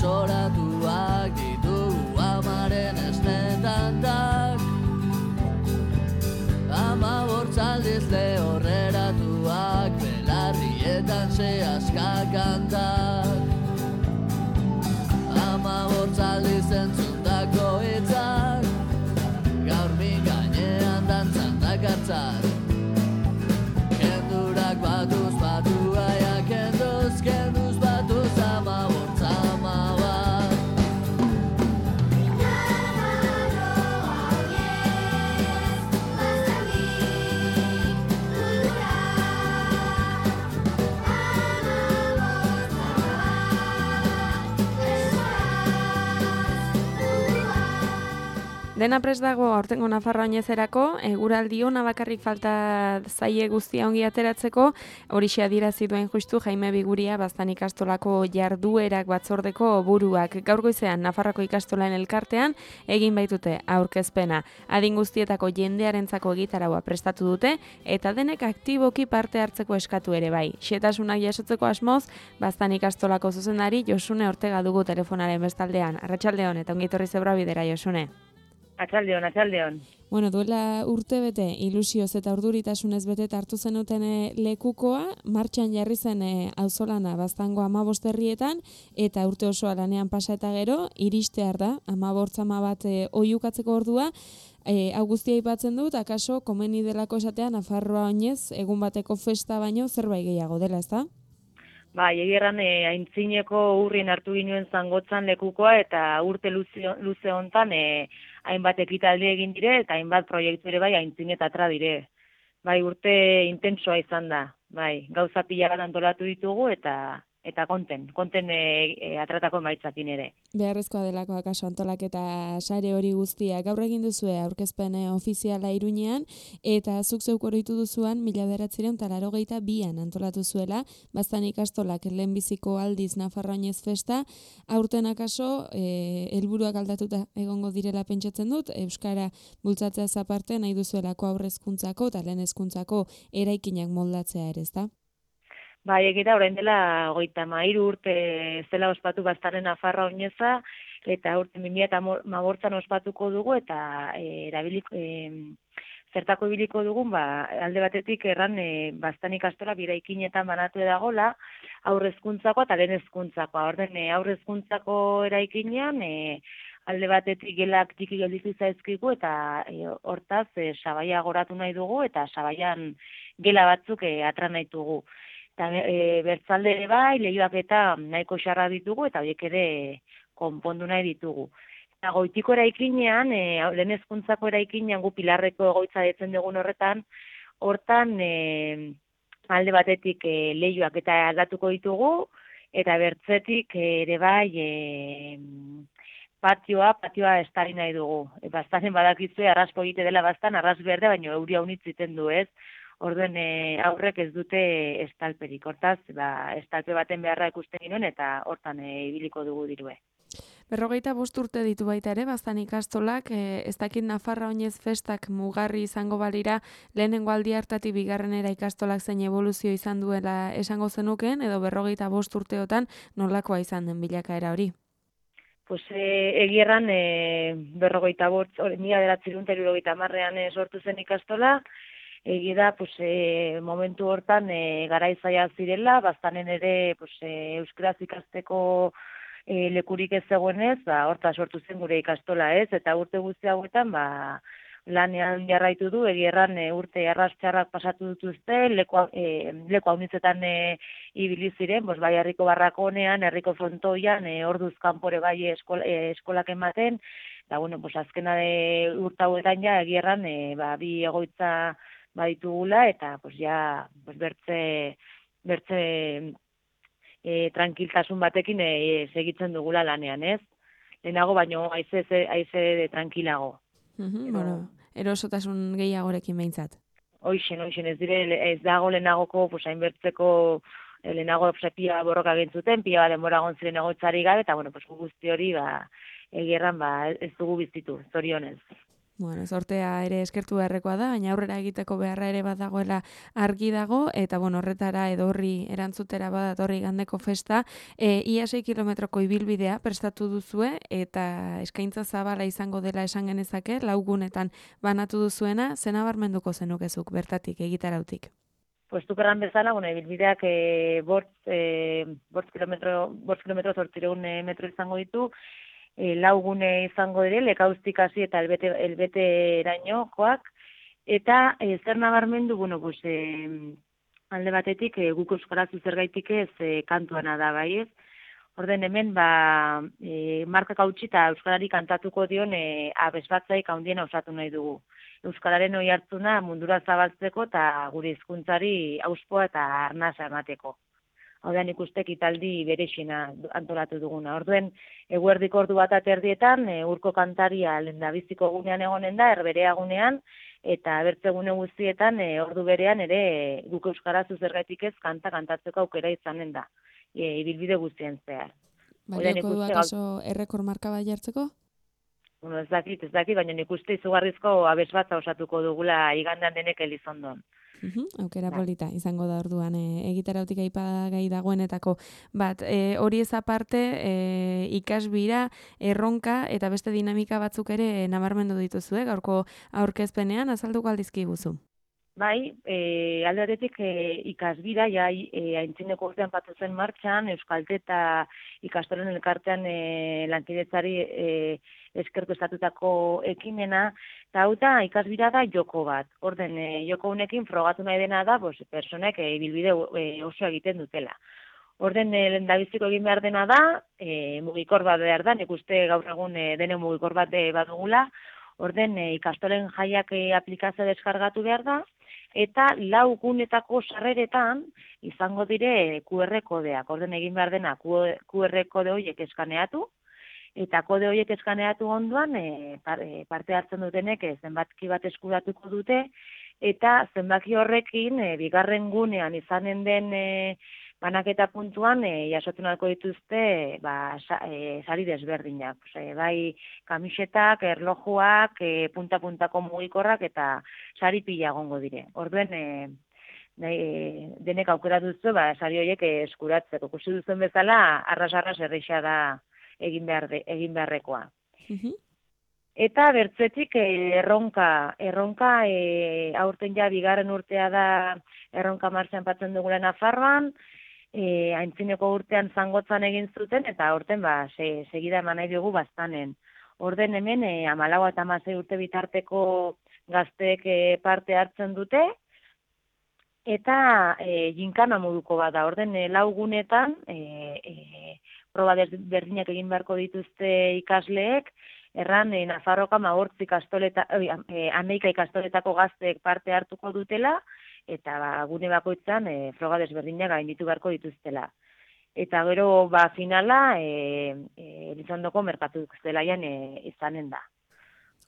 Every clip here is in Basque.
Desoratuak ditugu amaren esnetantak, 15 aldiz lehorreratuak, belarrietan sehaska kantak. 15 aldiz entzundako hitzak, gaur min gainean dantzan dakartzat. Kendurak batuz batua, ja kenduz batuz, 15 bat. Dena prest dago aurtengo Nafarroa oinezerako, eguraldi ona bakarrik falta zaie guztia ongi ateratzeko, horixe adierazi duen justu Jaime Biguria Baztan ikastolako jarduerak batzordeko buruak. Gaur goizean Nafarroako ikastolan elkartean egin baitute aurkezpena. Adin guztietako jendearentzako egitaraua prestatu dute eta denek aktiboki parte hartzeko eskatu ere bai. Xetasunak jasotzeko asmoz, Baztan ikastolako zuzendari Josune Ortega dugu telefonaren bestaldean. Arratsaldeon eta ongi etorri Zebrabidera, Josune. Atxaldeon. Bueno, duela urte bete, ilusioz eta urduritasunez bete hartu zenuten lekukoa, martxan jarri zen auzolana Baztango 15 herrietan, eta urte osoa lanean pasa eta gero, iristear da, 15 bat oihukatzeko ordua, hau guztia aipatzen dut, akaso komeni delako esatea Nafarroa oinez, egun bateko festa baino zerbait gehiago dela, ezta? Bai, egirran aintzineko urrien hartu ginuen zangotzan lekukoa eta urte luze hontan hainbat ekitaldi egin dire eta hainbat proiektu ere bai aintzinetatra dire. Bai, urte intensoa izan da. Bai, gauza pila bat antolatu ditugu eta konten atratako emaitzakin ere. Beharrezkoa delako akaso antolaketa sare hori guztia. Gaur egin duzue aurkezpen ofiziala Iruñean eta zuk zeuk oroitu duzuan 1982an antolatu zuela Baztan ikastolak lehenbiziko aldiz Nafarroa oinez festa. Aurten akaso helburuak aldatuta egongo direla pentsatzen dut, euskara bultzatzeaz aparte nahi duzuelako aurrezkuntzako eta lehen hezkuntzako eraikinak moldatzea ere, ezta? Bai, egira orain dela 33 urte zela ospatu Baztaren Nafarroa oineza eta urte 2015an ospatuko dugu eta zertako ibiliko dugun, alde batetik erran Baztan ikastola biraikinetan banatu dagola, aurrezkuntzako eta lehen hezkuntzakoa. Orden aurrezkuntzako eraikinean alde batetik gelak txiki gelditu zaizkigu eta hortaz sabaia goratu nahi dugu eta sabaian gela batzuk atra nahi dugu. Eta bertzalde ere bai, lehioak eta nahiko xarra ditugu eta horiek ere konpondu nahi ditugu. Eta goitiko eraikinean, lehen hezkuntzako eraikinean gu Pilarreko egoitza detzen dugun hortan alde batetik lehioak eta aldatuko ditugu eta bertzetik ere bai patioa estari nahi dugu. Baztanen badakizue arraspo egite dela Baztan, arras berde, baina euria unitz iten du ez. Orden aurrek ez dute estalperik. Hortaz, estalpe baten beharra ikusten ginoen eta hortan ibiliko dugu dirue. 45 urte ditu baita ere, Baztan ikastolak, ez dakit Nafarroa oinez festak mugarri izango balira, lehenengo aldi hartatik bigarrenera ikastolak zein evoluzio izan duela esango zenukeen, edo 45 urteotan nolakoa izan den bilakaera hori? Pues egierran 45, 1970ean sortu zen ikastola, egia da, momentu hortan garaizaia zirela, Baztanen ere euskaraz ikasteko lekurik ez zegoenez, horta sortu zen gure ikastola ez, eta urte guzti hauetan lanean jarraitu du, egierran urte arrastxarrak pasatu dituzte, leku haunitzetan ibili ziren, bai herriko barrakonean, herriko frontoian, orduz kanpore bai eskolak ematen, eta azkena urte hauetan egierran bi egoitza baditugula eta bertze tranquiltasun batekin segitzen dugula lanean, ez? Lehenago baino aize tranquilago. Erosotasun gehiagorekin behintzat. Hoixen, ez dago lehenagoko hainbertzeko lehenago pila borroka gintzuten, pila denbora gonziren egoitzari gabe, eta guzti hori egierran ez dugu bizitu, zorionez. Bueno, sortea ere eskertu beharrekoa da, baina aurrera egiteko beharra ere badagoela argi dago, eta bueno, horretara edo horri erantzutera badatorri igandeko festa, ia 6 kilometroko ibilbidea prestatu duzue, eta eskaintza zabala izango dela esan genezake, 4 gunetan banatu duzuena, zena barmenduko zenukezuk bertatik egitarautik. Pues tukerran bezala, bueno, ibilbideak bost kilometro 800 metro izango ditu, 4 gune izango dire, Lekauztik hasi eta elbeterainokoak, eta zer nabarmendu, bueno, pues, alde batetik guk euskaraz zergaitik ez kantuana da, bai ez? Orden hemen, markak hautsi eta euskarari kantatuko dion abesbatzaik handiena osatu nahi dugu. Euskararen oi hartzuna mundura zabaltzeko eta gure hizkuntzari auspoa eta arnasa emateko. Hau da nik uste ekitaldi berexina antolatu duguna. Orduen, eguerdiko ordu bat aterdietan, urko kantaria lehendabiziko gunean egonen da, erberea gunean, eta bertze gune guztietan, ordu berean ere guk euskaraz zergatik ez kantatzeko aukera izanen da. Ibilbide guztien zehar. Balioko du akaso errekor marka bat jartzeko? Bueno, ez dakit, baina nik uste izugarrizko abesbatza osatuko dugula igandean denek Elizondon. Aukera polita izango da orduan egitarautik aipagai dagoenetako bat. Hori ez aparte, ikasbira, erronka eta beste dinamika batzuk ere nabarmendu dituzue, gaurko aurkezpenean azalduko aldizkiguzu. Bai, alde batetik ikasbira, aintzineko urtean patu zen martxan, Euskaltet eta ikastolen elkartean lankidetzari eskertu estatutako ekimena, eta hau da ikasbira da joko bat. Orden, joko honekin frogatu nahi dena da, personek ibilbide oso egiten dutela. Orden, lehendabiziko egin behar dena da, mugikor bat behar da, nik uste gaur egun dene mugikor bat badugula, orden, ikastolen jaiak aplikazio deskargatu behar da, eta 4 gunetako sarreretan izango dire QR kodeak. Orden egin behar dena QR kode horiek eskaneatu, eta kode horiek eskaneatu ondoan parte hartzen dutenek zenbaki bat eskuratuko dute, eta zenbaki horrekin bigarren gunean izanen den banaketa puntuan jasotzen alko dituzte sari desberdinak. Bai kamisetak, erlojuak, punta-puntako mugikorrak eta sari pila egongo dire. Orduen denek aukera duzu sari horiek eskuratzeko. Ikusi duzen bezala, arras erreixa da egin beharrekoa. Eta bertzetik erronka aurten ja bigarren urtea da erronka martxan patzen dugula Nafarroan, aintzineko urtean Zangotzan egin zuten, eta aurten segida eman nahi dugu bastanen. Orden hemen 14 eta 16 urte bitarteko gazteek parte hartzen dute, eta ginkana moduko bat da. Orden 4 gunetan proba berdinak egin beharko dituzte ikasleek, erran Nafarroka 11 ikastoletako gazteek parte hartuko dutela, eta gune bakoitzan froga desberdinak gainditu beharko dituztela. Eta gero finala Elizondoko merkatu zelaian izanen da.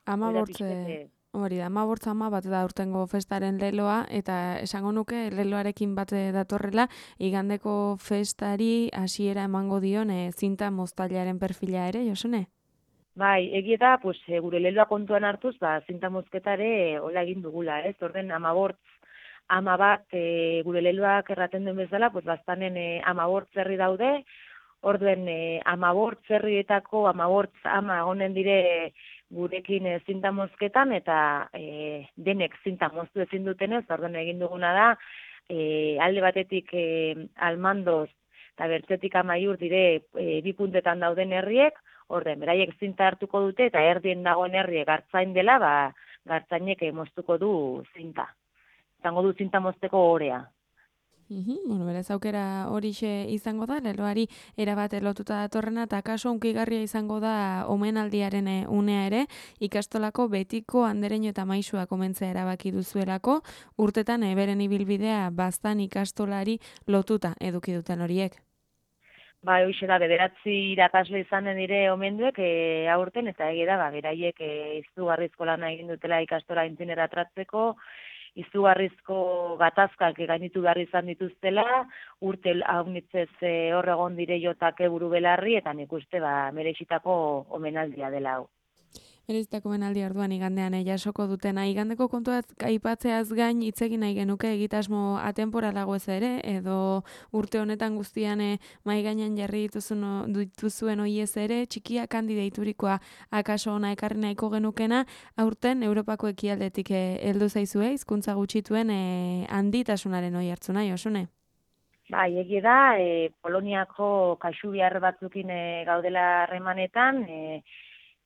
15 hori da, 15 bat da urtengo festaren leloa, eta esango nuke leloarekin bat datorrela, igandeko festari hasiera emango dion zinta moztailaren perfila ere, Josune? Bai, egia da, gure leloa kontuan hartuz, zinta mozketare hola egin dugula, ez? Orden 10 bat gure leloak erraten duen bezala, bastanen 15 zerri daude, orduen 15 zerrietako 15 ama egonen dire gurekin zinta mozketan, eta denek zinta moztu ezin dutenez, orduen egin duguna da, alde batetik Almandoz eta bertzetik Amaiur dire 2 puntetan dauden herriek, orden, beraiek zinta hartuko dute, eta erdien dagoen herriek hartzain dela, gartzainek moztuko du zinta. Izango du zinta mozteko orea. Bueno, berez aukera horixe izango da, leloari erabat lotuta datorrena, eta kaso unkigarria izango da omenaldiaren unea ere, ikastolako betiko andereño eta maisua komentzea erabaki duzuelako, urtetan beren ibilbidea baztan ikastolari lotuta eduki duten horiek. Hoxe da, 9 irakasle izanen dire omenduek aurten, eta egia da, beraiek izugarrizko lana egin dutela ikastola aintzinera tratzeko, izugarrizko gatazkak gainitu behar izan dituztela, urte haunitzez hor egon dire jotake buru belarri, eta nik uste merexitako omenaldia dela hau. Berezitako benaldi orduan igandean jasoko dutena. Igandeko kontuaz aipatzeaz gain hitz egin nahi genuke egitasmo atemporalago ez ere, edo urte honetan guztian mahai gainean jarri dituzuen hoiez ere, txikiak handi deiturikoa akaso ona ekarri nahiko genukena, aurten Europako ekialdetik heldu zaizue, hizkuntza gutxituen handitasunaren oi hartzuna, Josune? Bai, egia da, Poloniako kaxubiar batzukin gaudela harremanetan,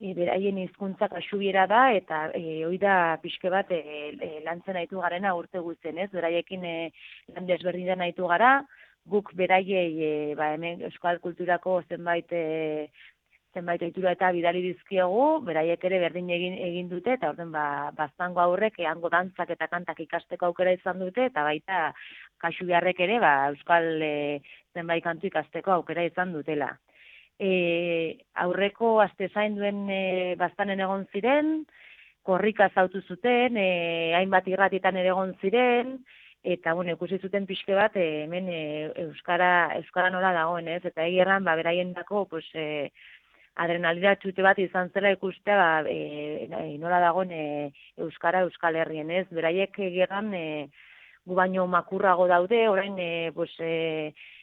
beraien hizkuntza kaxubiera da, eta hori da pixke bat lantzen nahitu garena urte guztien, ez? Beraiekin lan desberdinan nahitu gara, guk beraiei hemen euskal kulturako zenbait ohitura eta bidali dizkiegu, beraiek ere berdin egin dute, eta orden baztango aurrek hango dantzak eta kantak ikasteko aukera izan dute, eta baita kaxubiarrek ere euskal zenbait kantu ikasteko aukera izan dutela. Aurreko aste zainduen baztanen egon ziren, korrika zautu zuten, hainbat irratietan ere egon ziren, eta ikusi zuten pixke bat hemen euskara nola dagoen, ez? Eta egirran beraiendako adrenalina txute bat izan zela ikustea nola dagoen euskara Euskal Herrien, ez? Beraiek egirran gu baino makurrago daude, orain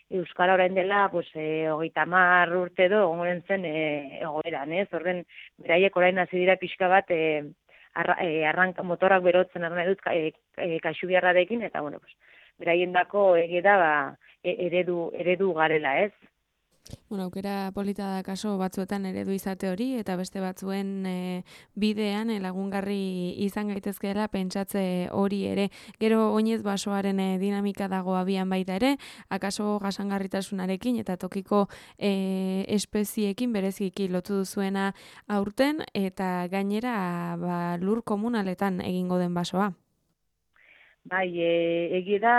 euskara orain dela 30 urte edo egongoren zen egoeran, ez? Horren beraiek orain hasi dira pixka bat arranka motorrak berotzen nahi dut kaxubiarrarekin, eta beraiendako egia da eredu garela, ez? Aukera polita da kaso batzuetan eredu izate hori, eta beste batzuen bidean lagungarri izan gaitezkeela pentsatze hori ere. Gero oinez basoaren dinamika dago abian baita ere, akaso jasangarritasunarekin eta tokiko espeziekin bereziki lotu duzuena aurten, eta gainera lur komunaletan egingo den basoa. Bai, egia da,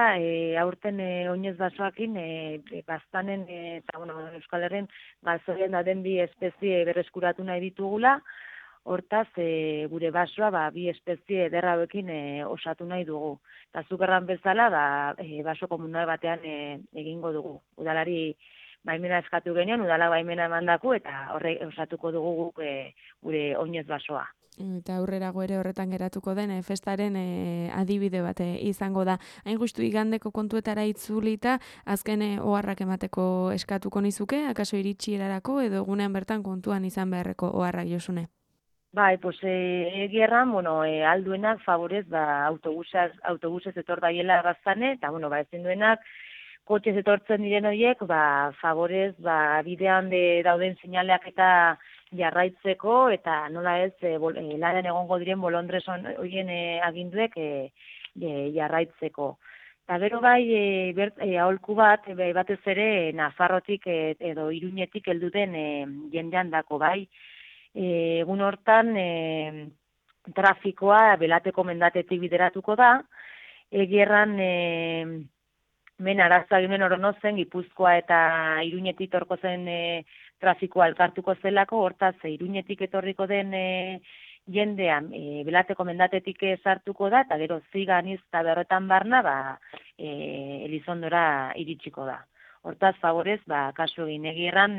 aurten oinez basoakin, baztanen, eta Euskal Herrien galzorian dauden bi espezie berreskuratu nahi ditugula, hortaz, gure basoa bi espezie ederrauekin osatu nahi dugu. Eta zukerran bezala, baso komunal batean egingo dugu. Udalari baimena eskatu genion, udala baimena emandaku, eta horre osatuko dugu guk gure oinez basoa. Eta aurrerago ere horretan geratuko den festaren adibide bat izango da. Hain justu igandeko kontuetara itzulita, azken oharrak emateko eskatuko nizuke, akaso iritsierarako edo egunean bertan kontuan izan beharreko oharrak, Josune? Bai, egierran, alduenak favorez autobusez etor daiela baztane, eta ezin duenak kotxez etortzen diren horiek, favorez bidean dauden seinaleak eta jarraitzeko, eta nola ez, laren egongo diren bolondrez horien aginduek jarraitzeko. Eta gero aholku bat, batez ere, Nafarrotik edo Iruñetik helduten jendean dako, egun hortan trafikoa belateko mendatetik bideratuko da, egierran men arazoa ginen oronozen, Gipuzkoa eta Iruñetik torko zen trafikoa elkartuko zelako, hortaz Iruñetik etorriko den jendean belateko mendatetik sartuko da, eta gero Ziganiz eta berretan barna Elizondora iritsiko da. Hortaz, favorez, kasu egin egirran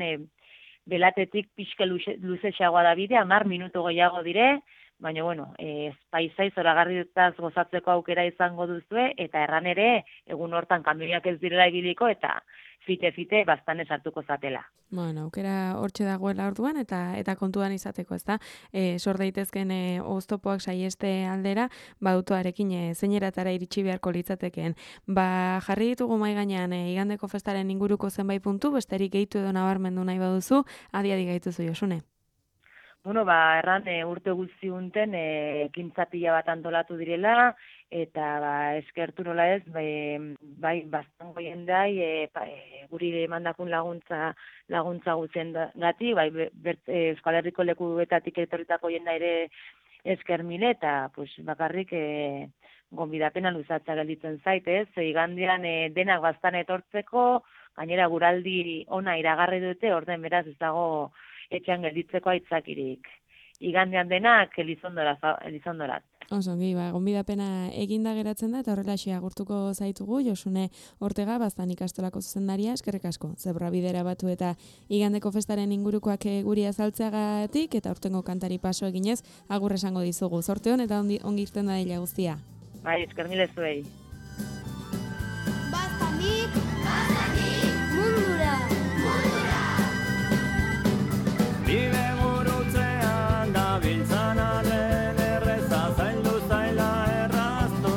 belatetik pixke luzexagoa da bidea, 10 minutu gehiago dire, baina, paisai zoragarri dutaz gozatzeko aukera izango duzue, eta erran ere, egun hortan kamioiak ez direla ibiliko, eta fite-fite bastan esartuko zatela. Aukera hortxe dagoela orduan, eta kontuan izateko, ezta? Sor daitezken oztopoak saieste aldera, autoarekin zeineratara iritsi beharko litzatekeen. Jarri ditugu mahai gainean igandeko festaren inguruko zenbait puntu, besterik gehitu edo nabarmendu nahi baduzu, adi gaituzu, Josune. Erran urte guzti unten ekintza pila bat antolatu direla, eta eskertu nola ez, baztango jendai, guri emandakun laguntza guztien gati, Euskal Herriko lekuetatik etorritako jenda ere esker mile, eta bakarrik gonbidapena luzatza gelditzen zaitez, igandean denak bastan etortzeko, gainera guraldi ona iragarri dute, orden beraz ez dago etxean gelditzeko aitzakirik. Igandean denak Elizondorat. Oso, gonbidapena eginda geratzen da, eta horrelaxe agurtuko zaitugu, Josune Ortega, Baztan ikastolako zuzendaria, eskerrik asko, Zebrabidera batu eta igandeko festaren ingurukoak guri azaltzeagatik, eta urtengo kantari paso eginez, agur esango dizugu. Zorte hon, eta ongi irten da dila guztia. Bai, esker mile zuei. Baztanik, mundura. Bide burutzean gabiltzan arren erreza zaildu zaila erraztu.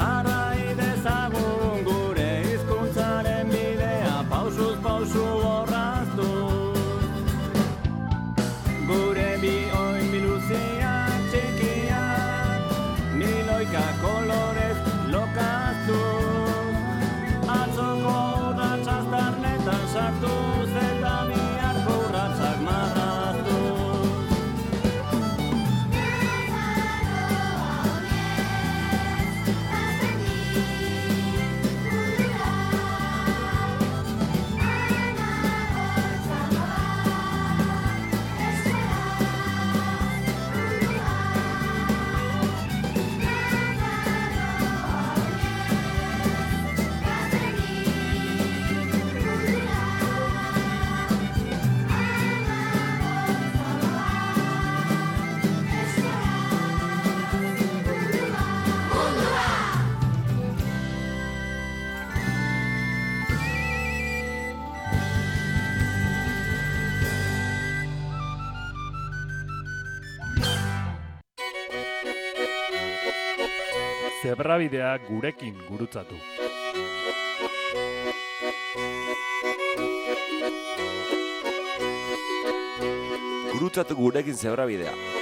Arrai dezagun gure hizkuntzaren bidea pausuz pausu borraztu. Gure bi oin biluziak txikiak, miloika kolorez lokaztu. Atzoko urratxaz darnetan sartuz eta biharko urratxak marraztuz. Zebrabidea gurekin gurutzatu. Gurutzatu gurekin Zebrabidea.